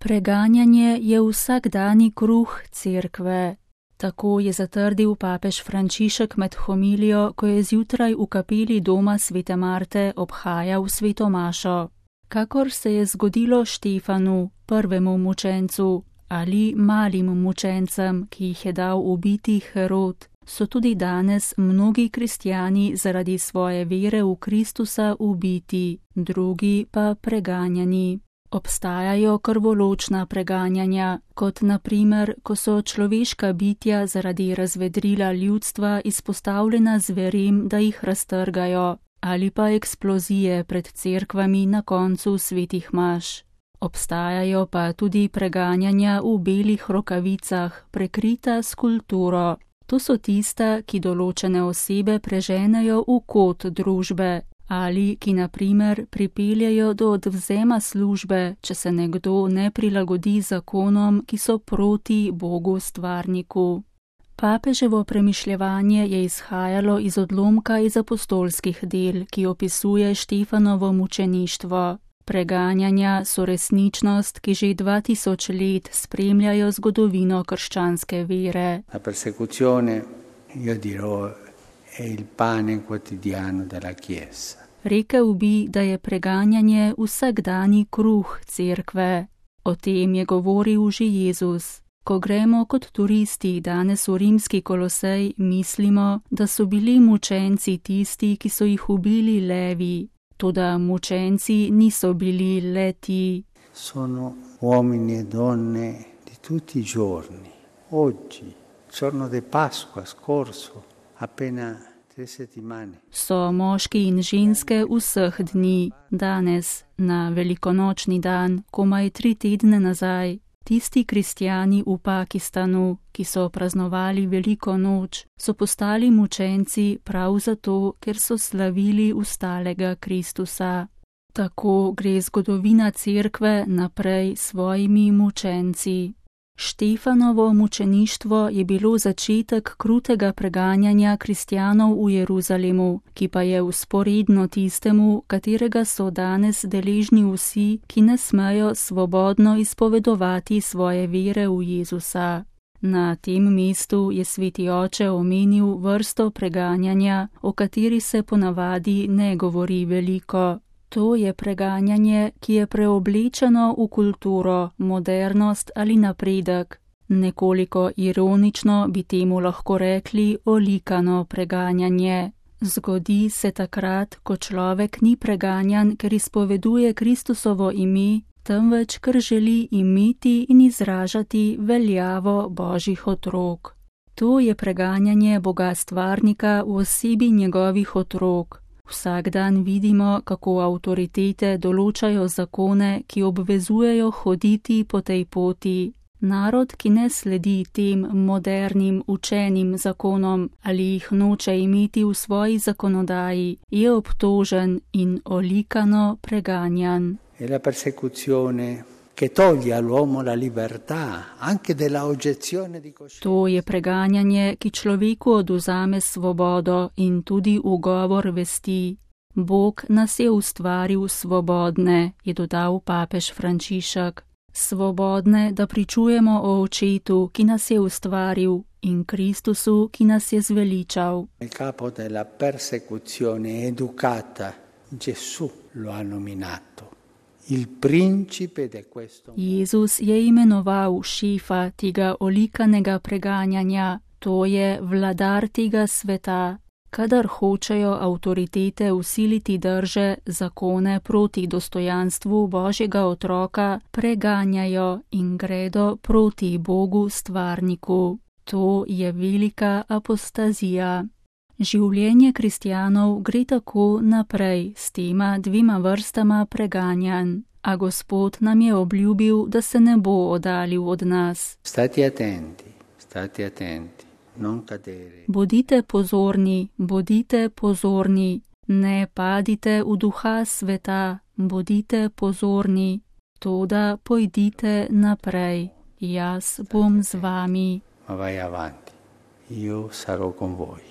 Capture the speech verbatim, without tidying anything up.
Preganjanje je vsakdani kruh cerkve. Tako je zatrdil papež Frančišek med homilijo, ko je zjutraj v kapeli doma svete Marte obhajal sveto mašo. Kakor se je zgodilo Štefanu, prvemu mučencu, ali malim mučencem, ki jih je dal ubiti Herod, so tudi danes mnogi kristjani zaradi svoje vere v Kristusa ubiti, drugi pa preganjani. Obstajajo krvoločna preganjanja, kot na primer, ko so človeška bitja zaradi razvedrila ljudstva izpostavljena zverim, da jih raztrgajo, ali pa eksplozije pred cerkvami na koncu svetih maš. Obstajajo pa tudi preganjanja v belih rokavicah, prekrita s kulturo. To so tista, ki določene osebe preženejo v kot družbe, ali ki na primer pripeljejo do odvzema službe, če se nekdo ne prilagodi zakonom, ki so proti Bogu stvarniku. Papeževo premišljevanje je izhajalo iz odlomka iz apostolskih del, ki opisuje Štefanovo mučeništvo. Preganjanja so resničnost, ki že dva tisoč let spremljajo zgodovino krščanske vere. La persecuzione, io dirò, è il pane quotidiano della Chiesa. Rekel bi, da je preganjanje vsakdani kruh cerkve. O tem je govoril že Jezus. Ko gremo kot turisti danes v rimski Kolosej, mislimo, da so bili mučenci tisti, ki so jih ubili levi. Toda mučenci niso bili le ti. Sono uomini e donne di tutti i giorni. Oggi, giorno di Pasqua scorso, appena tre settimane. So moški in ženske vseh dni, danes, na velikonočni dan, komaj tri tedne nazaj. Tisti kristjani v Pakistanu, ki so praznovali veliko noč, so postali mučenci prav zato, ker so slavili ustalega Kristusa. Tako gre zgodovina cerkve naprej svojimi mučenci. Štefanovo mučeništvo je bilo začetek krutega preganjanja kristjanov v Jeruzalemu, ki pa je vzporedno tistemu, katerega so danes deležni vsi, ki ne smejo svobodno izpovedovati svoje vere v Jezusa. Na tem mestu je sveti oče omenil vrsto preganjanja, o kateri se ponavadi ne govori veliko. To je preganjanje, ki je preoblečeno v kulturo, modernost ali napredek. Nekoliko ironično bi temu lahko rekli olikano preganjanje. Zgodi se takrat, ko človek ni preganjan, ker izpoveduje Kristusovo ime, temveč ker želi imeti in izražati veljavo Božjih otrok. To je preganjanje Boga stvarnika v osebi njegovih otrok. Vsak dan vidimo, kako avtoritete določajo zakone, ki obvezujejo hoditi po tej poti. Narod, ki ne sledi tem modernim učenim zakonom ali jih noče imeti v svoji zakonodaji, je obtožen in olikano preganjan. È la persecuzione che toglie all'uomo la libertà, anche della oggezione di coscienza. To je preganjanje, ki človeku odvzame svobodo in tudi ugovor vesti. Bog nas je ustvaril svobodne, je dodal papež Frančišek. Svobodne, da pričujemo o očetu, ki nas je ustvaril, in Kristusu, ki nas je zveličal. Il capo della persecuzione educata, Gesù lo ha nominato. Il principe de questo. Jezus je imenoval šefa tega olikanega preganjanja, to je vladar tega sveta. Kadar hočejo avtoritete vsiliti drže, zakone proti dostojanstvu Božjega otroka, preganjajo in gredo proti Bogu stvarniku. To je velika apostazija. Življenje kristjanov gre tako naprej s tema dvima vrstama preganjanj, a Gospod nam je obljubil, da se ne bo oddalil od nas. Stati attenti, stati attenti, non cadere. Bodite pozorni, bodite pozorni, ne padite v duha sveta, bodite pozorni, toda pojdite naprej, jaz bom z vami. Ma vai avanti, io sarò con voi.